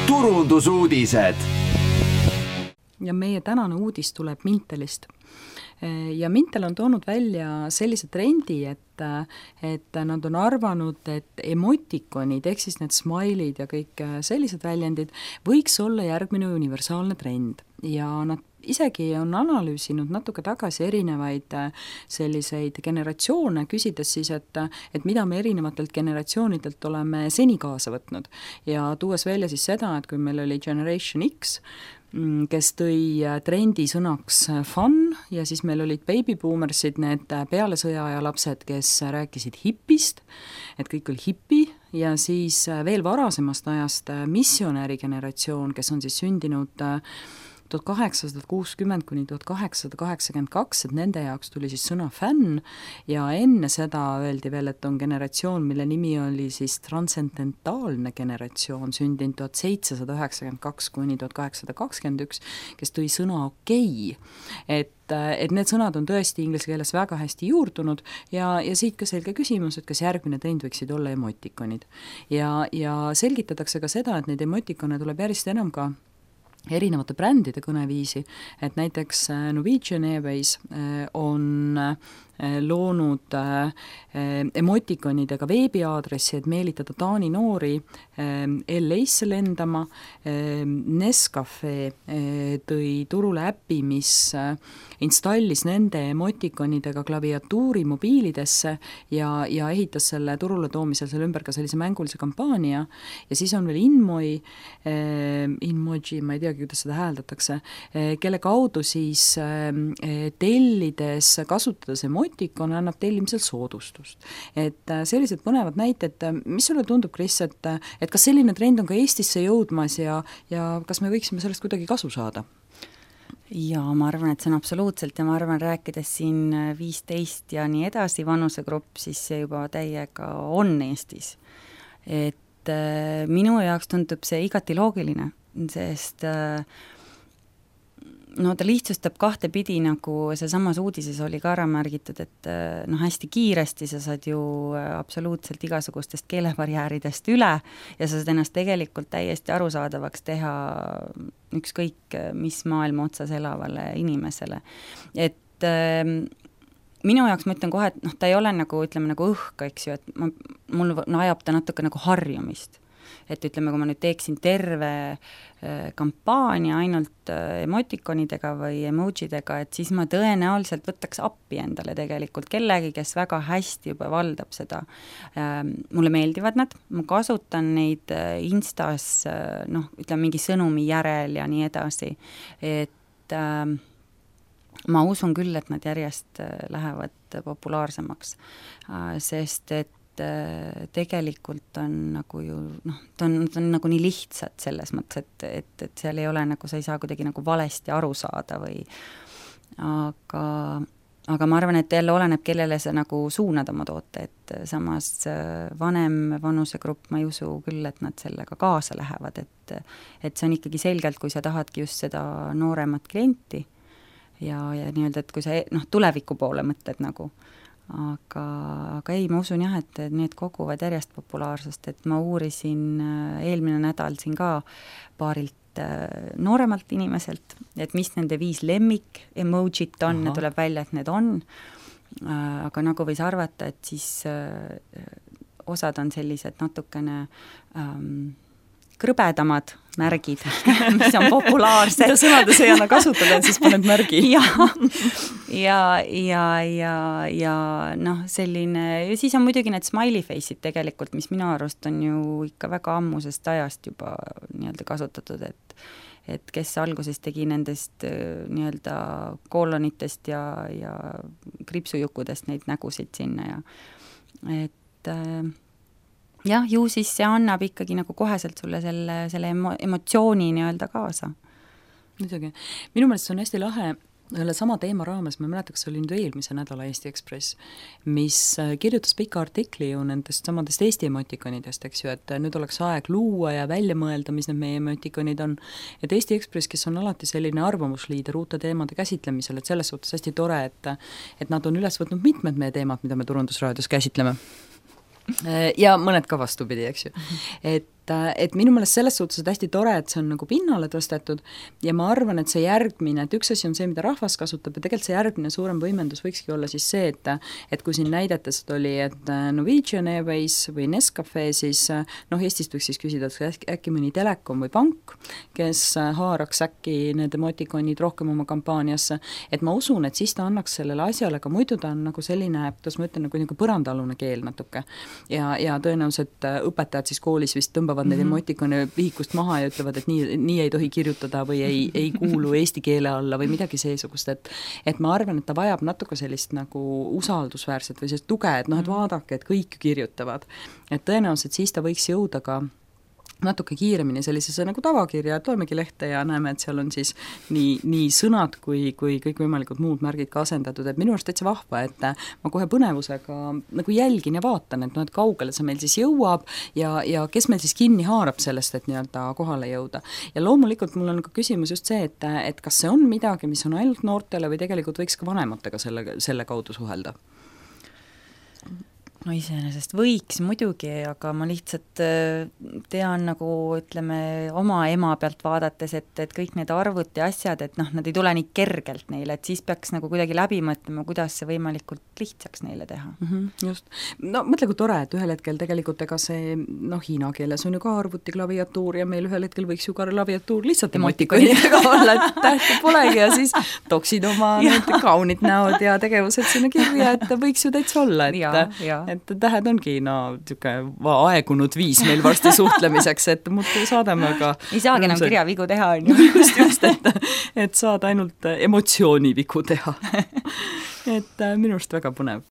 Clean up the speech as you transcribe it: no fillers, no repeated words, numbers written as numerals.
turundusuudised. Ja meie tänane uudis tuleb Mintelist. Ja Mintel on toonud välja sellise trendi, et nad on arvanud, et emotikonid, ehk siis need smileid ja kõik sellised väljendid võiks olla järgmine universaalne trend. Ja nad isegi on analüüsinud natuke tagasi erinevaid selliseid generatsioone, küsides siis, et mida me erinevatelt generatsioonidelt oleme seni kaasa võtnud. Ja tuues välja siis seda, et kui meil oli Generation X, kes tõi trendi sõnaks fun ja siis meil olid baby-boomersid, need peale sõjaaja lapsed, kes rääkisid hipist, et kõik oli hipi, ja siis veel varasemast ajast missionäri generatsioon, kes on siis sündinud 1860 kuni 1882, et nende jaoks tuli siis sõna fänn ja enne seda öeldi veel, et on generatsioon, mille nimi oli siis transcendentaalne generatsioon, sündinud 1792 kuni 1821, kes tõi sõna okei. Et need sõnad on tõesti inglise keeles väga hästi juurdunud ja siit ka selge küsimus, et kas järgmine trend võiksid olla emotikonid. Ja selgitatakse ka seda, et neid emotikone tuleb järjest enam ka erinevate brändide kõneviisi, et näiteks Norwegian Airways on loonud emotikonidega veebiaadressi, et meelitada Taani noori LA-sse lendama. Nescafe tõi turule äpi, mis installis nende emotikonidega klaviatuuri mobiilidesse ja ehitas selle turule toomisel selle ümber ka sellise mängulise kampaania. Ja siis on veel Inmoji, ma ei teagi, kuidas seda hääldatakse, kelle kaudu siis tellides kasutades emotikone annab tellimisel soodustust. Et sellised põnevad näited, mis sulle tundub, Kris, et kas selline trend on ka Eestisse jõudmas ja kas me võiksime sellest kuidagi kasu saada? Ja ma arvan, et see on absoluutselt ja ma arvan, rääkides siin 15 ja nii edasi vanusegrupp, siis see juba täiega on Eestis. Et minu jaoks tundub see igati loogiline, sest no ta lihtsustab kahte pidi, nagu see samas uudises oli ka ära märgitud, et hästi kiiresti sa saad ju absoluutselt igasugustest keelebarjääridest üle ja sa saad ennast tegelikult täiesti arusaadavaks teha ükskõik mis maailma otsas elavale inimesele. Et minu jaoks ma ütlen kohe, et ta ei ole nagu, ütleme nagu õhk, eks ju, et mul ajab ta natuke nagu harjumist. Et ütleme, kui ma nüüd teeksin terve kampaania ainult emotikonidega või emojidega, et siis ma tõenäoliselt võtaks appi endale tegelikult kellegi, kes väga hästi juba valdab seda. Mulle meeldivad nad, ma kasutan neid Instas, ütleme mingi sõnumi järel ja nii edasi, et ma usun küll, et nad järjest lähevad populaarsemaks, sest et tegelikult on nagu ju, ta on nagu nii lihtsad selles mõttes, et seal ei ole nagu, sa ei saa kuidagi nagu valesti aru saada või aga ma arvan, et jälle oleneb, kellele sa nagu suunad oma toote, et samas vanem vanusegrupp, ma ei usu küll, et nad sellega kaasa lähevad, et see on ikkagi selgelt, kui sa tahadki just seda nooremat klienti ja nii-öelda, et kui sa tuleviku poole mõtled nagu, aga ei, ma usun jah, et need koguvad järjest populaarsust, et ma uurisin eelmine nädal siin ka paarilt nooremalt inimeselt, et mis nende 5 lemmik emojit on, ja tuleb välja, et need on, aga nagu võis arvata, et siis osad on sellised natukene krõbedamad märgid, mis on populaarsed. Mida sõnades ei anna kasutada, et siis paned märgi. ja selline, ja siis on muidugi need smiley face'id tegelikult, mis minu arust on ju ikka väga ammusest ajast juba nii-öelda kasutatud, et kes alguses tegi nendest nii-öelda koolonitest ja kripsujukkudest neid nägusid sinna ja et jah, ju siis see annab ikkagi nagu koheselt sulle selle emotsiooni nii-öelda kaasa. Muidugi. Minu meelest see on hästi lahe, selle sama teema raames, ma mäletan, kas see oli nüüd eelmise nädala Eesti Ekspress, mis kirjutas pika artikli ju nendest samadest Eesti emotikonidest, eks ju, et nüüd oleks aeg luua ja välja mõelda, mis need meie emotikonid on. Et Eesti Ekspress, kes on alati selline arvamusliider uute teemade käsitlemisel, et selles suhtes hästi tore, et nad on üles võtnud mitmed meie teemad, mida me Turundusraadios käsitleme. Ja mõned ka vastupidi, eks ju. Et et minu meelest selles suhtes on hästi tore, et see on nagu pinnale tõstetud ja ma arvan, et see järgmine, et üks asi on see, mida rahvas kasutab ja tegelikult see järgmine suurem võimendus võikski olla siis see, et kui siin näidetest oli, et Norwegian Airways või Nescafe, siis Eestist võiks siis küsida, et äkki mõni telekom või pank, kes haaraks äkki need emotikonid rohkem oma kampaaniasse, et ma usun, et siis ta annaks sellele asjale, aga muidu ta on nagu selline, kuidas ma ütlen, nagu põrandaalune keel natuke ja tõenäoliselt õpetajad siis koolis vist tõmbavad need emotikone vihikust maha ja ütlevad, et nii ei tohi kirjutada või ei kuulu eesti keele alla või midagi seesugust, et ma arvan, et ta vajab natuke sellist nagu usaldusväärset või sellist tuge, et et vaadake, et kõik kirjutavad. Et tõenäoliselt siis ta võiks jõuda ka natuke kiiremini sellisesse nagu tavakirja, et loemegi lehte ja näeme, et seal on siis nii sõnad kui kõikvõimalikud muud märgid ka asendatud, et minu arust täitsa vahva, et ma kohe põnevusega nagu jälgin ja vaatan, et kaugele see meil siis jõuab ja kes meil siis kinni haarab sellest, et nii-öelda kohale jõuda. Ja loomulikult mul on ka küsimus just see, et kas see on midagi, mis on ainult noortele või tegelikult võiks ka vanematega selle kaudu suhelda? No iseenesest võiks muidugi, aga ma lihtsalt tean nagu ütleme oma ema pealt vaadates, et kõik need arvud ja asjad, et nad ei tule nii kergelt neile, et siis peaks nagu kuidagi läbi mõtlema, kuidas see võimalikult lihtsaks neile teha. Just. No mõtle, kui tore, et ühel hetkel tegelikult ega see, hiina keeles on ju ka arvuti klaviatuur ja meil ühel hetkel võiks ju ka klaviatuur lihtsalt emotikonidega olla, et tähti polegi ja siis toksid oma need kaunid näod ja tegevused sinna kirja, et võiks ju täitsa olla, et tähed ongi aegunud viis meil varsti suhtlemiseks, et muudkui saadame aga ei saagi enam kirjavigu teha, on ju. Just, et saad ainult emotsioonivigu teha. Et minu arust väga põnev.